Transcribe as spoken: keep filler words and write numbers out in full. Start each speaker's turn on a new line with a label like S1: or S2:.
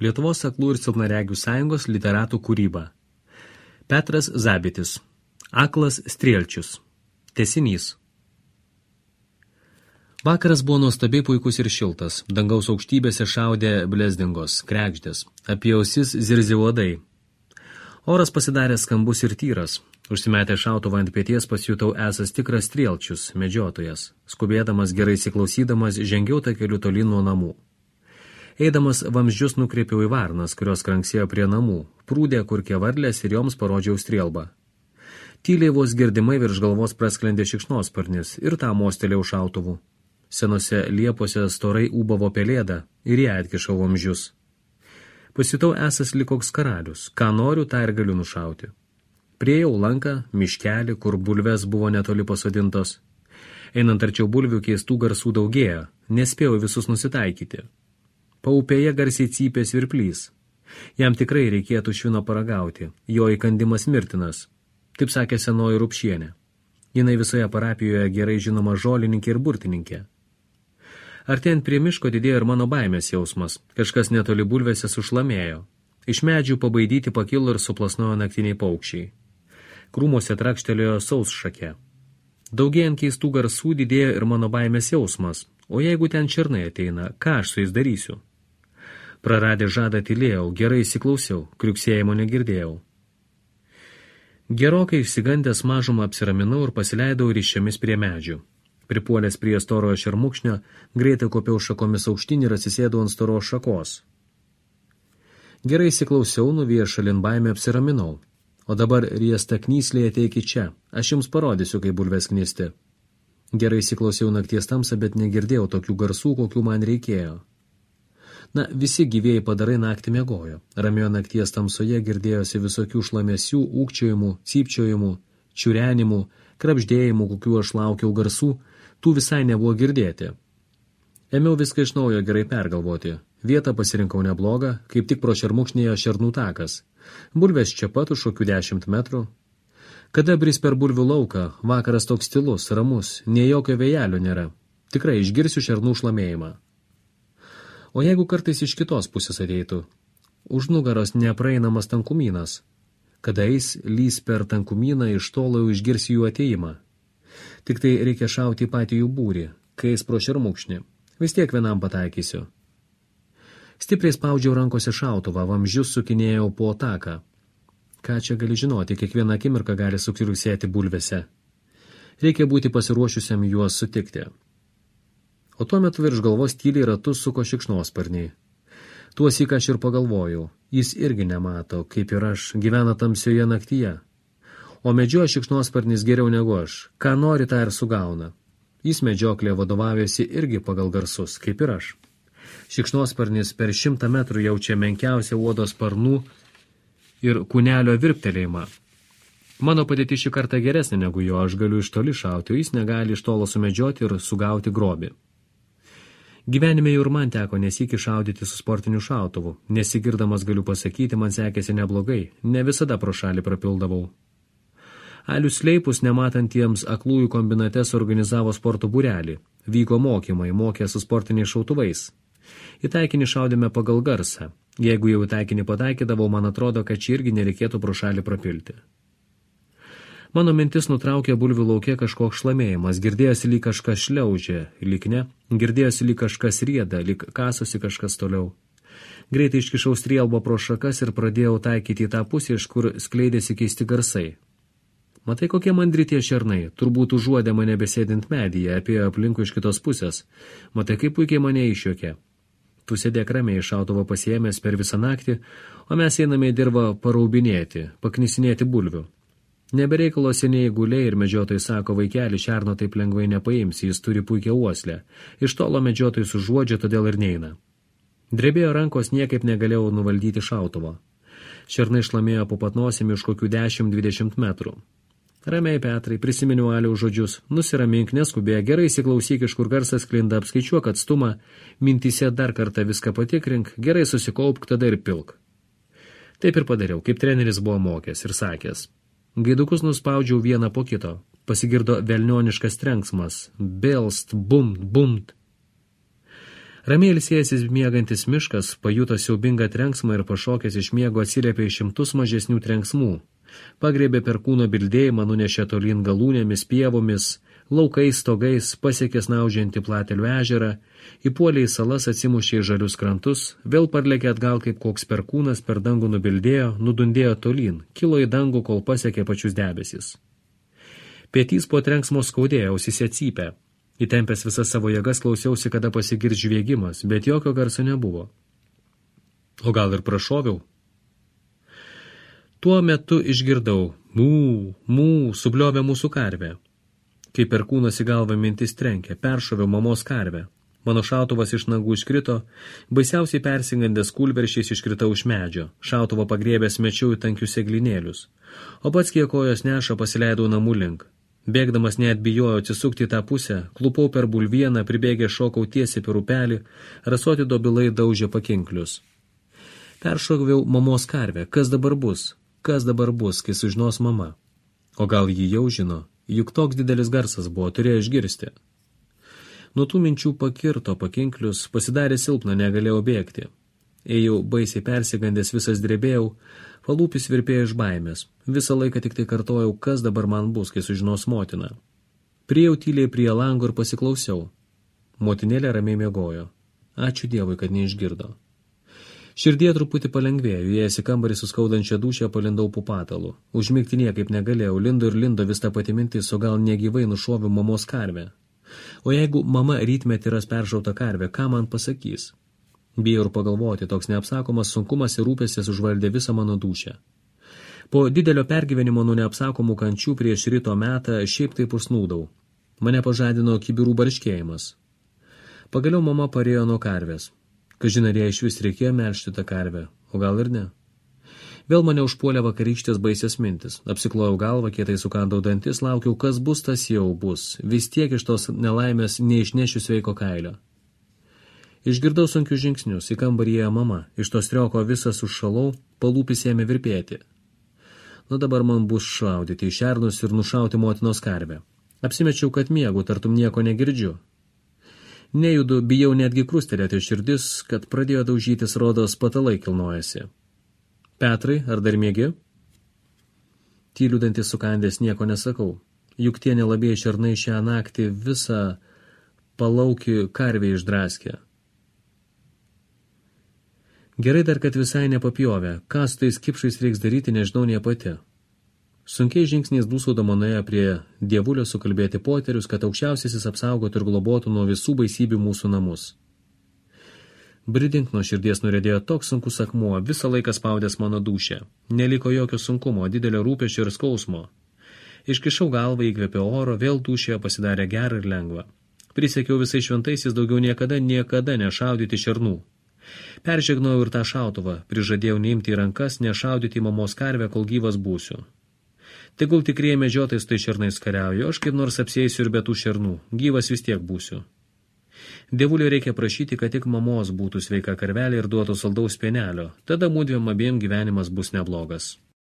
S1: Lietuvos aklų ir silpnaregių sąjungos literatų kūryba. Petras Zabitis. Aklas Strielčius. Tęsinys. Vakaras buvo nuostabiai puikus ir šiltas. Dangaus aukštybėse šaudė blezdingos, krekždės. Apie ausis zirzė uodai. Oras pasidarė skambus ir tyras. Užsimetę šautuvą ant pėties pasijutau esas tikras Strielčius, medžiotojas. Skubėdamas, gerai įsiklausydamas, žengiau takeliu tolyn nuo namų. Eidamas vamzdžius nukreipiau į varnas, kurios kranksėjo prie namų. Prūdė kurkė varlės ir joms parodžiau strielbą. Tyliai vos girdimai virš galvos prasklendė šikšnosparnis ir tą mostelėjau šautuvu. Senose liepose storai ūbavo pelėda ir ją atkišau vamzdžius. Pasijutau esas lyg koks karalius. Ką noriu, tą ir galiu nušauti. Priejau lanką, miškelį, kur bulves buvo netoli pasodintos. Einant arčiau bulvių keistų garsų daugėjo, nespėjau visus nusitaikyti. Paupėje garsiai cypė svirplys. Jam tikrai reikėtų švino paragauti, jo įkandimas mirtinas. Taip sakė senoji Rupšienė. Jinai visoje parapijoje gerai žinoma žolininkė ir burtininkė. Artėjant prie miško didėjo ir mano baimės jausmas. Kažkas netoli bulvėse sušlamėjo. Iš medžių pabaidyti pakilo ir suplasnojo naktiniai paukščiai. Krūmuose trakštelėjo sausšakė. Daugėjant keistų garsų didėjo ir mano baimės jausmas. O jeigu ten černai ateina, ką aš su jais darysiu? Praradę žadą tylėjau, gerai įsiklausiau, kriuksėjimo negirdėjau. Gerokai išsigandęs mažumą apsiraminau ir pasileidau ryšiomis prie medžių. Pripuolęs prie storojo šermukšnio, greitai kopiau šakomis aukštyn ir atsisėdau ant storos šakos. Gerai įsiklausiau, nuvijęs šalin baimę apsiraminau. O dabar riesta knyslė ateikit čia, aš jums parodysiu, kaip bulves knisti. Gerai įsiklausiau nakties tamsą, bet negirdėjau tokių garsų, kokių man reikėjo. Na, visi gyvėjai padarai naktį miegojo. Ramioje nakties tamsoje girdėjosi visokių šlamesių, ūkčiojimų, cypčiojimų, čiurenimų, krapždėjimų, kokių aš laukiau garsų, tų visai nebuvo girdėti. Ėmiau viską iš naujo gerai pergalvoti. Vietą pasirinkau neblogą, kaip tik pro šermukšnėjo šernų takas. Bulvės čia pat už kokių dešimt metrų. Kada bris per bulvių lauką, vakaras toks tylus, ramus, nė jokio vėjelio nėra. Tikrai išgirsiu šernų šlamėjimą. O jeigu kartais iš kitos pusės ateitų? Už nugaros nepraeinamas tankumynas. Kada eis lys per tankumyną, iš tolo jau išgirsi jų ateimą. Tik tai reikia šauti į patį jų būrį, kai eis pro šermukšnį. Vis tiek vienam pataikysiu. Stipriai spaudžiau rankose šautuvą, vamzdžius sukinėjau po taką. Ką čia gali žinoti, kiekvieną akimirką gali sukriusėti bulvėse. Reikia būti pasiruošusiam juos sutikti. O tuo metu virš galvos tyliai ratus suko šikšnosparniai. Tuosyk aš ir pagalvojau, jis irgi nemato, kaip ir aš, gyvena tamsioje naktyje. O medžioja šikšnosparnis geriau negu aš, ką nori, tą ir sugauna. Jis medžioklėje vadovavėsi irgi pagal garsus, kaip ir aš. Šikšnosparnis per šimtą metrų jaučia menkiausią uodos sparnų ir kūnelio virptelėjimą. Mano padėtis šį kartą geresnė negu jo, aš galiu iš toli šauti, o jis negali iš tolo sumedžioti ir sugauti grobį. Gyvenime jau ir man teko nesyki šaudyti su sportiniu šautuvu. Nesigirdamas galiu pasakyti, man sekėsi neblogai, ne visada pro šalį prapildavau. Alius Leipus, nematantiems aklųjų kombinate, suorganizavo sporto būrelį. Vyko mokymai, mokė su sportiniais šautuvais. Į taikinį šaudėme pagal garsą. Jeigu jau į taikinį pataikydavau, man atrodo, kad čia irgi nereikėtų pro šalį prapilti. Mano mintis nutraukė bulvių lauke kažkoks šlamėjimas, girdėjosi lyg kažkas šliaužė, lyg ne, girdėjosi lyg kažkas rieda, lyg kasosi kažkas toliau. Greitai iškišau strielbą pro šakas ir pradėjau taikyti į tą pusę, iš kur skleidėsi keisti garsai. Matai, kokie mandri tie šernai, turbūt užuodė mane besėdint medyje, apie aplinkų iš kitos pusės. Matai, kaip puikiai mane išjuokė. Tu sėdėk ramiai šautuvo pasiėmęs per visą naktį, o mes einame į dirvą paraubinėti, paknisinėti bulvių. Nebereikalo seniai guliai ir medžiotojai sako, vaikeli, šerno taip lengvai nepaimsi, jis turi puikią uoslę. Iš tolo medžiotojai sužuodžia, todėl ir neina. Drebėjo rankos, niekaip negalėjau nuvaldyti šautuvo. Šernai šlamėjo po patnosimi iš kokių dešimt dvidešimt metrų. Ramiai, Petrai, prisiminiau Aliaus žodžius, nusiramink, neskubėk, gerai įsiklausyk, iš kur garsas sklinda, apskaičiuok atstumą, mintyse dar kartą viską patikrink, gerai susikaupk, tada ir pilk. Taip ir padariau, kaip treneris buvo mokęs ir sakęs. Gaidukus nuspaudžiau vieną po kito, pasigirdo velnioniškas trenksmas, belst, bumt, bumt. Ramiai ilsėjęsis miegantis miškas pajuto siaubingą trenksmą ir pašokęs iš miego atsiliepė į šimtus mažesnių trenksmų. Pagrėbė per kūno bildėjimą, nunešė tolyn galūnėmis, pievomis, laukais, stogais, pasiekė snaudžiantį Platelių ežerą, įpuolė į salas, atsimušė į žalius krantus, vėl parlėkė atgal kaip koks perkūnas, per dangų nubildėjo, nudundėjo tolyn, kilo į dangų, kol pasiekė pačius debesis. Pietys po trenksmo skaudėjo, ausyse cypė. Įtempęs visas savo jėgas klausiausi, kada pasigirs žviegimas, bet jokio garso nebuvo. O gal ir prašoviau? Tuo metu išgirdau, mū, mū, subliovė mūsų karvė. Kai perkūnas į galvą mintis trenkė, peršoviau mamos karvę. Mano šautuvas iš nagų iškrito, baisiausiai persingandęs kūlveršiais iškritau iš medžio, šautuvą pagrėbęs mečiau į tankius seglinėlius, o pats kiek kojos neša pasileidau namų link. Bėgdamas net bijojau atsisukti į tą pusę, klupau per bulvieną, pribėgę šokau tiesiai per upelį, rasoti dobilai daužė pakinklius. Peršoviau mamos karvę, kas dabar bus, kas dabar bus, kai sužinos mama. O gal jį jau žino, juk toks didelis garsas buvo, turėjo išgirsti. Nuo tų minčių pakirto pakinklius, pasidarė silpna, negalėjau bėgti. Ėjau baisiai persigandęs, visas drebėjau, palūpis virpėjo iš baimės. Visą laiką tik tai kartojau, kas dabar man bus, kai sužinos motina. Priėjau tyliai prie lango ir pasiklausiau. Motinėlė ramiai miegojo. Ačiū Dievui, kad neišgirdo. Širdie truputį palengvėjo, įėjęs į kambarį su skaudančia dūšia palindau po patalu. Užmigti niekaip negalėjau, lindo ir lindo vis tą patį mintis, o gal negyvai nušoviau mamos karvę. O jeigu mama rytmetį ras peršautą karvę, ką man pasakys? Bijau ir pagalvoti, toks neapsakomas sunkumas ir rūpestis užvaldė visą mano dūšią. Po didelio pergyvenimo nuo neapsakomų kančių prieš ryto metą šiaip taip užsnūdau. Mane pažadino kibirų barškėjimas. Pagaliau mama parėjo nuo karvės. Kažin ar jai iš vis reikėjo melžti tą karvę, o gal ir ne. Vėl mane užpuolė vakarykštės baisios mintis. Apsiklojau galvą, kietai sukandau dantis, laukiau, kas bus, tas jau bus. Vis tiek iš tos nelaimės neišnešiu sveiko kailio. Išgirdau sunkius žingsnius, į kambarį ėjo mama, iš to strioko visas užšalau, palūpis ėmė virpėti. Nu dabar man bus šaudyti į šernus ir nušauti motinos karvę. Apsimečiau, kad miegu, tartum nieko negirdžiu. Nejudu, bijau netgi krustelėti širdis, kad pradėjo daužytis, rodos patalai kilnojasi. Petrai, ar dar miegi? Tyliu dantis sukandęs nieko nesakau, juk tie nelabieji šernai šią naktį visą palaukį karvę išdraskė. Gerai dar, kad visai nepapjovė, ką su tais kipšais reiks daryti, nežinau nie pati. Sunkiai žingsniais dūsaudama nuėjo prie dievulio sukalbėti poterius, kad aukščiausiasis apsaugotų ir globotų nuo visų baisybių mūsų namus. Bridink nuo širdies nurėdėjo toks sunkus akmuo, visą laiką spaudęs mano dūšę. Neliko jokio sunkumo, didelio rūpesčio ir skausmo. Iškišau galvą, įkvėpiau oro, vėl dūšėje pasidarė gera ir lengva. Prisiekiau visai šventaisiais daugiau niekada, niekada nešaudyti šernų. Peržegnojau ir tą šautuvą, prižadėjau neimti į rankas, nešaudyti į mamos karvę, kol gyvas būsiu. Tegul tikrieji medžiotojai su tai šernais kariauja, aš kaip nors apsėsiu ir be tų šernų, gyvas vis tiek būsiu. Dievulio reikia prašyti, kad tik mamos būtų sveika karvelė ir duotų saldaus pienelio, tada mūdviem abiem gyvenimas bus neblogas.